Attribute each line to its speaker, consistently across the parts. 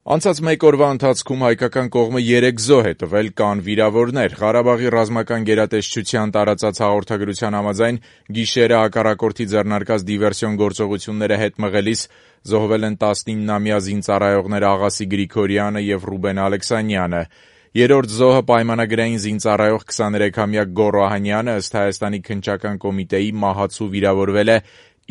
Speaker 1: Անցած մեկ օրվա ընթացքում հայկական կողմը 3 զոհ է տվել, կան վիրավորներ։ Ղարաբաղի ռազմական գերատեսչության տարածած հաղորդագրության համաձայն գիշերը հակառակորդի ձեռնարկած դիվերսիոն գործողությունները հետ մղելիս զոհվել են 19-ամյա զինծառայողներ Աղասի Գրիգորյանը եւ Ռուբեն Ալեքսանյանը։ Երրորդ զոհը պայմանագրային զինծառայող 23-ամյա Գոռ Օհանյանը ըստ Հայաստանի քննչական կոմիտեի մահացու վիրավորվել է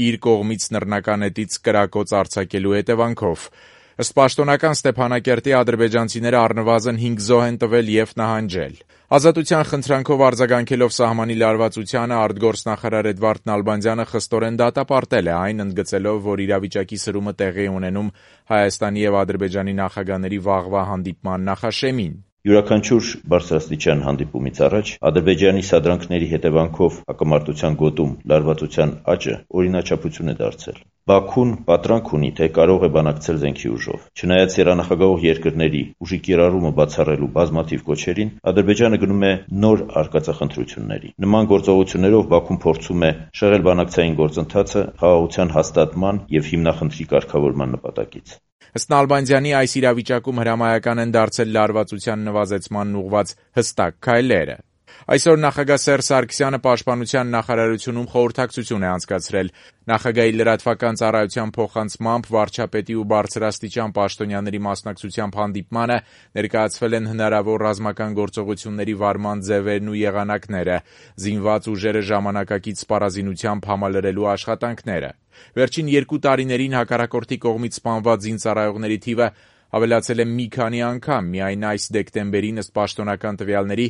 Speaker 1: իր կողմից նռնական էտից կրակոց արձակելու հետևանքով։ Ըստ պաշտոնական Ստեփանակերտի ադրբեջանցիները առնվազն 5 զոհ են տվել եւ նահանջել։ Ազատության խնդրանքով արձագանքելով սահմանի լարվածությանը արտգործնախարար Էդվարդ Նալբանդյանը խստորեն դատապարտել է այն, ընդգծելով, որ իրավիճակի սրումը տեղի է ունենում Հայաստանի եւ Ադրբեջանի նախագահների վաղվա հանդիպման նախաշեմին։
Speaker 2: Յուրաքանչյուր բարձրաստիճան հանդիպումից առաջ Ադրբեջանի սադրանքների հետևանքով հակամարտության գոտում լարվածության աճը օրինաչափություն է դարձել։ Բաքուն պատրանք ունի, թե կարող է բանակցել զենքի ուժով։ Չնայած եռանախագահող երկրների ուժի կիրառումը բացառելու բազմաթիվ կոչերին, Ադրբեջանը գնում է նոր արկածախնդրությունների։ Նման գործողություններով Բաքուն փորձում է շեղել բանակցային գործընթացը խաղաղության հաստատման եւ հիմնախնդրի կարգավորման նպատակից։
Speaker 1: Ըստ Նալբանդյանի այս իրավիճակում հրամայական են դարձել լարվածության նվազեցմանն ուղղված հստակ քայլերը։ Այսօր նախագահ Սերժ Սարգսյանը Պաշտպանության նախարարությունում խորհրդակցություն է անցկացրել։ Նախագահի լրատվական ծառայության փոխանցմամբ վարչապետի ու բարձրաստիճան պաշտոնյաների մասնակցությամբ հանդիպմանը ներկայացվել են հնարավոր ռազմական գործողությունների վարման ձևերն ու եղանակները, զինված ուժերը ժամանակակից սպառազինությամբ համալրելու աշխատանքները։ Վերջին 2 տարիներին հակառակորդի կողմից սպանված զինծառայողների թիվը ավելացել է մի քանի անգամ։ Միայն այս դեկտեմբերին ըստ պաշտոնական տվյալների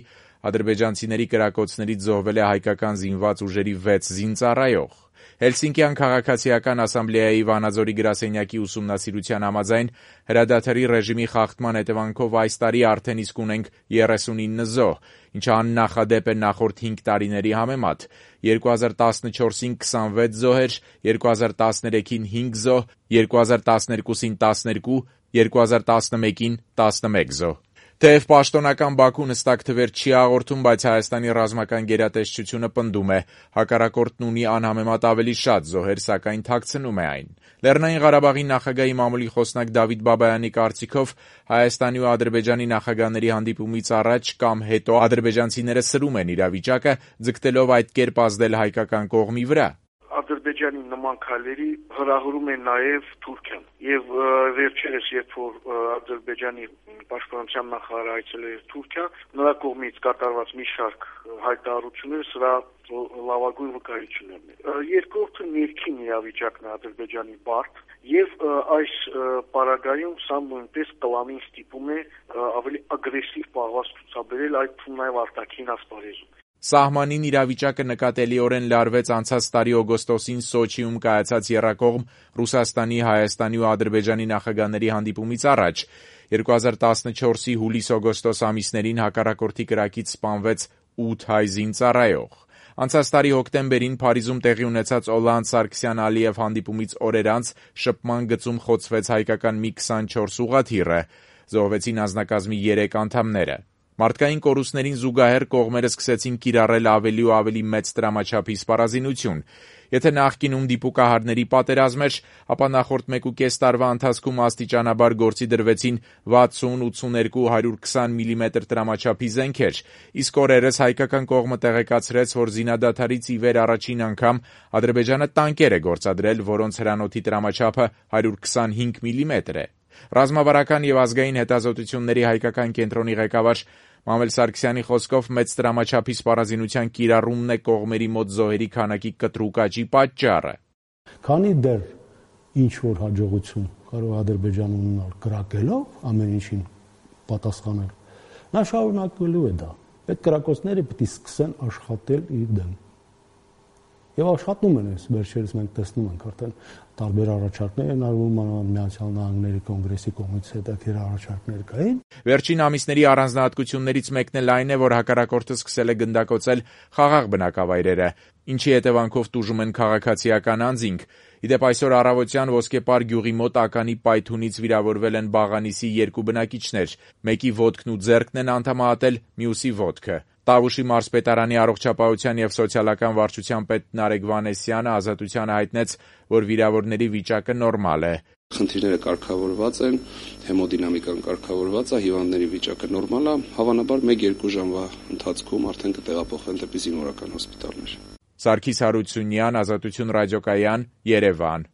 Speaker 1: ադրբեջանցիների կրակոցներից զոհվել է հայկական զինված ուժերի 6 զինծառայող։ Հելսինկյան քաղաքացիական ասամբլեայի Վանաձորի գրասենյակի ուսումնասիրության համաձայն հրադադարի ռեժիմի խախտման հետևանքով այս տարի արդեն իսկ ունենք 39 զոհ, ինչը աննախադեպ է նախորդ 5 տարիների համեմատ։ 2014-ին 26 զոհեր, 2013-ին 5 զոհ, 2012-ին 12, 2011-ին 11 զոհ։ Թեև պաշտոնական Բաքուն հստակ թվեր չի հաղորդում, բայց Հայաստանի ռազմական գերատեսչությունը պնդում է, հակառակորդն ունի անհամեմատ ավելի շատ զոհեր, սակայն թաքցնում է այն։ Լեռնային Ղարաբաղի նախագահի մամուլի խոսնակ Դավիթ Բաբայանի կարծիքով Հայաստանի ու Ադրբեջանի նախագահների հանդիպումից առաջ կամ հետո ադրբեջանցիները սրում են իրավիճակը, ձգտելով այդ կերպ ազդել հայկական կողմի վրա։
Speaker 3: Ադրբեջանի նման քայլերի հրահրում է նաև Թուրքիան եւ վերջերս երբ որ Ադրբեջանի պաշտպանության նախարարը այցելել էր Թուրքիա, նրա կողմից կատարված մի շարք հայտարարություններ սրա լավագույն վկայություններն են։ Երկրորդը ներքին իրավիճակն է Ադրբեջանի բարդ եւ այս պարագայում սա նույնպես կլանին ստիպում է ավելի ագրեսիվ պահվածք ցուցաբերել այդ թվում նաև արտաքին ասպարեզում։
Speaker 1: Սահմանին իրավիճակը նկատելիորեն լարվեց անցած տարի օգոստոսին Սոչիում կայացած եռակողմ Ռուսաստանի, Հայաստանի ու Ադրբեջանի նախագահների հանդիպումից առաջ։ 2014-ի հուլիս-օգոստոս ամիսներին հակառակորդի կրակից սպանվեց 8 հայ զինծառայող։ Անցած տարի հոկտեմբերին Փարիզում տեղի ունեցած Օլանդ Սարգսյան-Ալիև հանդիպումից օրեր անց շփման գծում խոցվեց հայկական մի 24 ուղղաթիռը։ Զոհվեցին անձնակազմի 3 անդամները։ Մարդկային կորուստներին զուգահեռ կողմերը սկսեցին կիրառել ավելի ու ավելի մեծ տրամաչափի սպառազինություն։ Եթե նախկինում դիպուկահարների պատերազմ էր, ապա նախորդ 1.5 տարվա ընթացքում աստիճանաբար գործի դրվեցին 60-82-120 մմ տրամաչափի զենքեր, իսկ օրերս հայկական կողմը տեղեկացրեց, որ զինադադարից ի վեր առաջին անգամ Ադրբեջանը տանկեր է գործադրել, որոնց հրանոթի տրամաչափը 125 մմ է։ Ռազմավարական եւ ազգային հետազոտությունների հայկական կենտրոնի ղեկավար Մամել Սարգսյանի խոսքով մեծ տրամաչափի սպառազինության կիրառումն է կողմերի մոտ զոհերի քանակի կտրուկ աճի պատճառը։
Speaker 4: Քանի դեռ ինչ որ հաջողություն կարող Ադրբեջանը ունենալ կրակելով ամեն ինչին պատասխանել, նա շարունակելու է դա։ Այդ կրակոցները պետք է սկսեն աշխատել իր դեմ։ Եվ աշխատում են, վերջերս մենք տեսնում ենք արդեն տարբեր առաջարկներ են արվում Միացյալ Նահանգների կոնգրեսի կողմից հետաքրքիր առաջարկներ կային։
Speaker 1: Վերջին ամիսների առանձնահատկություններից մեկն էլ այն է, որ հակառակորդը սկսել է գնդակոծել խաղաղ բնակավայրերը, ինչի հետևանքով տուժում են քաղաքացիական անձինք։ Իդեպ այսօր առավոտյան Ոսկեպար գյուղի մոտ ականի պայթունից վիրավորվել են Բաղանիսի 2 բնակիչներ, մեկի ոտքն ու ձեռքն են անդամահատել, մյուսի ոտքը։ Տավուշի մարզպետարանի առողջապահության եւ սոցիալական վարչության պետ Նարեկ Վանեսյանը Ազատությանը հայտնեց, որ վիրավորների վիճակը նորմալ է։
Speaker 5: Խնդիրները կարգավորված են, հեմոդինամիկան կարգավորված է, հիվանդների վիճակը նորմալ է, հավանաբար 1-2 ժամվա ընթացքում արդեն կտեղափոխվեն դեպի զինվորական հոսպիտալներ։
Speaker 1: Սարգիս Հարությունյան, Ազատություն ռադիոկայան, Երևան։